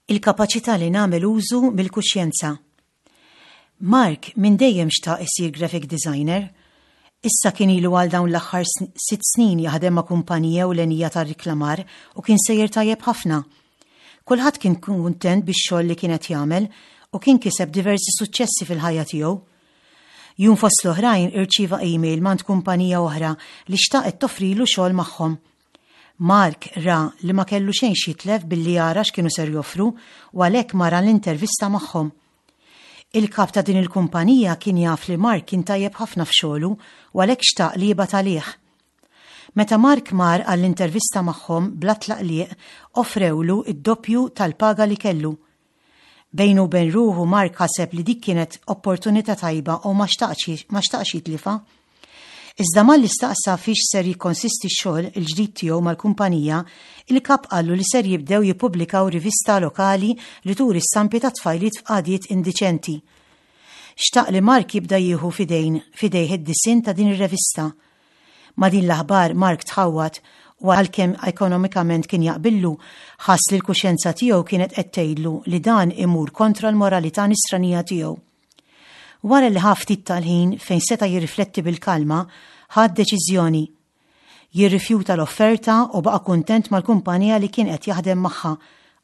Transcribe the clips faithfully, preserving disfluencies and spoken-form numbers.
Il-kapaċità li nagħmel użu mill-kuxjenza. Mark minn dejjem xtaq isir graphic designer. Issa kien ilu għal dawn l-aħħar sitt snin jaħdem ma' kumpanija ewlenija tar-riklamar u kien sejjer tajjeb ħafna. Kulħadd kien kuntent bix-xogħol li kien qed jagħmel u kien kiseb diversi suċċessi fil-ħajja tiegħu. Jum fost l-oħrajn irċieva email mingħand kumpanija oħra li xtaqet toffrilu xogħol magħhom. Mark ra li ma kellu xejn x'jitlef billi jara x'kienu ser joffru u għalhekk mar l-intervista magħhom. Il-kap ta' din il-kumpanija kien jaf li Mark kien tajjeb ħafna f'xogħlu u għalhekk xtaq li jibgħat għalih. Meta Mark mar għall-intervista magħhom bla tlaqliq offrewlu id-doppju tal-paga li kellu. Bejnu u bejn ruħu Mark ħaseb li dik kienet opportunità tajba u ma xtaqx jitlifha. Iżda malli staqsa fiex ser jikkonsisti x-xogħol il-ġdid tiegħu mal-kumpanija, il-kap qallu li ser jibdew jippubblikaw rivista lokali li turi stampi ta' tfajliet f'qagħdiet indiċenti. Xtaq li Mark jibda jieħu f'idejn f'idejh id-disinn ta' din ir-rivista. Ma' din l-aħbar Mark tħawwad u għalkemm ekonomikament kien jaqbillu, ħass li l-kuxjenza tiegħu kienet qed tgħidlu li dan imur kontra l-moralità nisranija tiegħu. Wara li ħa ftit tal-ħin fejn seta' jirrifletti bil-kalma, ħa deċiżjoni. Jirrifjuta l-offerta u baqa' kuntent mal-kumpanija li kien qed jaħdem magħha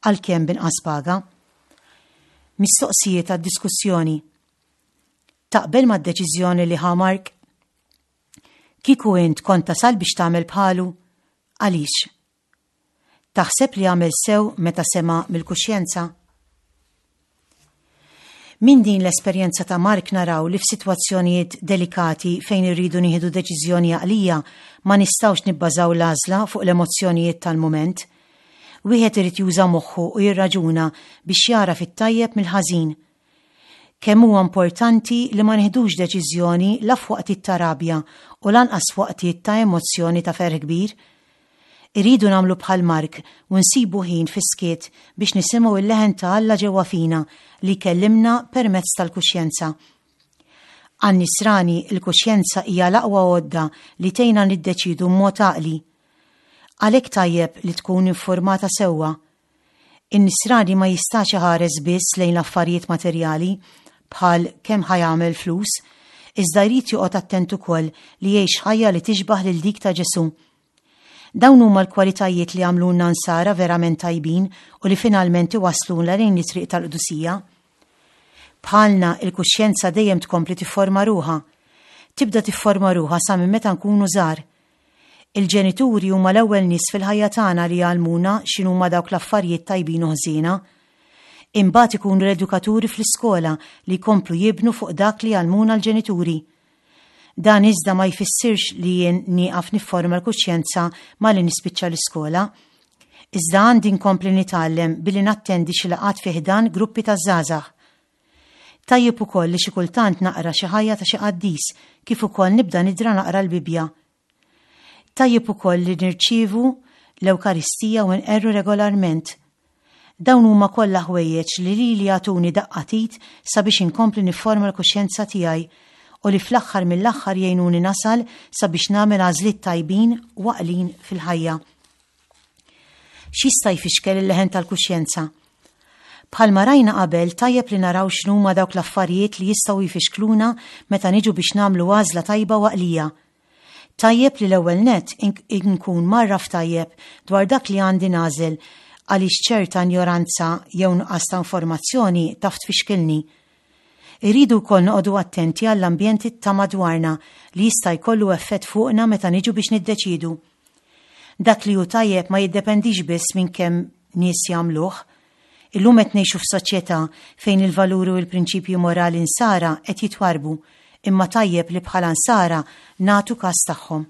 għalkemm binqas paga. Mistoqsijiet għad-diskussjoni. Taqbel mad-deċiżjoni li ħa Mark? Kieku int kont tasal biex tagħmel bħalu? Għaliex? Taħseb li għamel sew meta sema' mill-kuxjenza? Min din l-esperjenza ta' Mark naraw li f'sitwazzjonijiet delikati fejn irridu nieħdu deċiżjoni għaqlija ma nistgħux nibbażaw l-għażla fuq l-emozzjonijiet tal-mument. Wieħed irid juża moħħu u jirraġuna biex jara fit-tajjeb mill-ħażin. Kemm huwa importanti li ma nieħdux deċiżjoni la f'waqtiet ta' rabja u lanqas f'waqtiet ta' emozzjoni ta' ferħ kbir. Irridu nagħmlu bħal Mark u nsibu ħin fis-skiet biex nisimgħu il-leħen ta' Alla ġewwa fina li jkellimna permezz tal-kuxjenza. Għan-nisrani il-kuxjenza hija l-aqwa għodda li tgħinna niddeċidu b'mod għaqli. Għalhekk tajjeb li tkun informata sewwa. In-nisrani ma jistax iħares biss lejn l-affarijiet materjali bħal kemm ħa jagħmel flus, iżda jrid joqgħod attent ukoll li jgħix ħajja li tixbaħ lil dik ta' Ġesù. Dawn huma l-kwalitajiet li għamluna nsara verament tajbin u li finalment iwasluna lejn it-triq tal-qdusija. Bħalna il-kuxjenza dejjem tkompli tifforma ruħha. Tibda tifforma ruħha sa minn meta nkunu żgħar. Il-ġenituri huma l-ewwel nies fil-ħajja tagħna li jgħallmuna x'inhuma dawk l-affarijiet tajbin u ħżiena. Imbagħad ikunu l-edukaturi fl-iskola li jkomplu jibnu fuq dak li jgħallmuna l-ġenituri. Dan iżda ma jfissirx li jien nieqaf nifforma l-kuxjenza malli nispiċċa l-iskola. Iżda għandi nkompli nitgħallem billi nattendi xi laqgħat fi ħdan gruppi ta' żgħażagħ. Tajjeb ukoll li xi kultant naqra xi ħajja ta' xi qaddis kif ukoll nibda nidra naqra l-Bibbja. Tajjeb ukoll li nirċievu l-Ewkaristija u nqerru regolarment. Dawn huma kollha ħwejjeġ li lili jagħtuni daqqa t'id sabiex inkompli nifforma l-kuxjenza tiegħi u li fl-aħħar mill-aħħar jgħinuni nasal sabiex nagħmel għażliet tajbin u għaqlin fil-ħajja. X'jista' jfixkel il-leħen tal-kuxjenza? Bħalma rajna qabel, tajjeb li naraw x'numa dawk l-affarijiet li jistgħu jfixkluna meta niġu biex nagħmlu għażla tajba u għaqlija. Tajjeb li l-ewwel nett inkun mgħarraf tajjeb dwar dak li għandi nagħżel għaliex ċerta injoranza jew nuqqas ta' informazzjoni taf tfixkilni. Irridu wkoll noqogħdu attenti għall-ambjenti ta' madwarna li jista' jkollu effett fuqna meta niġu biex niddeċidu. Dak li hu tajjeb ma jiddependix biss minn kemm nies jagħmluh. Illum qed ngħixu f'soċjetà fejn il-valuri u l-prinċipji morali nsara qed jitwarbu, imma tajjeb li bħala nsara nagħtu kas tagħhom.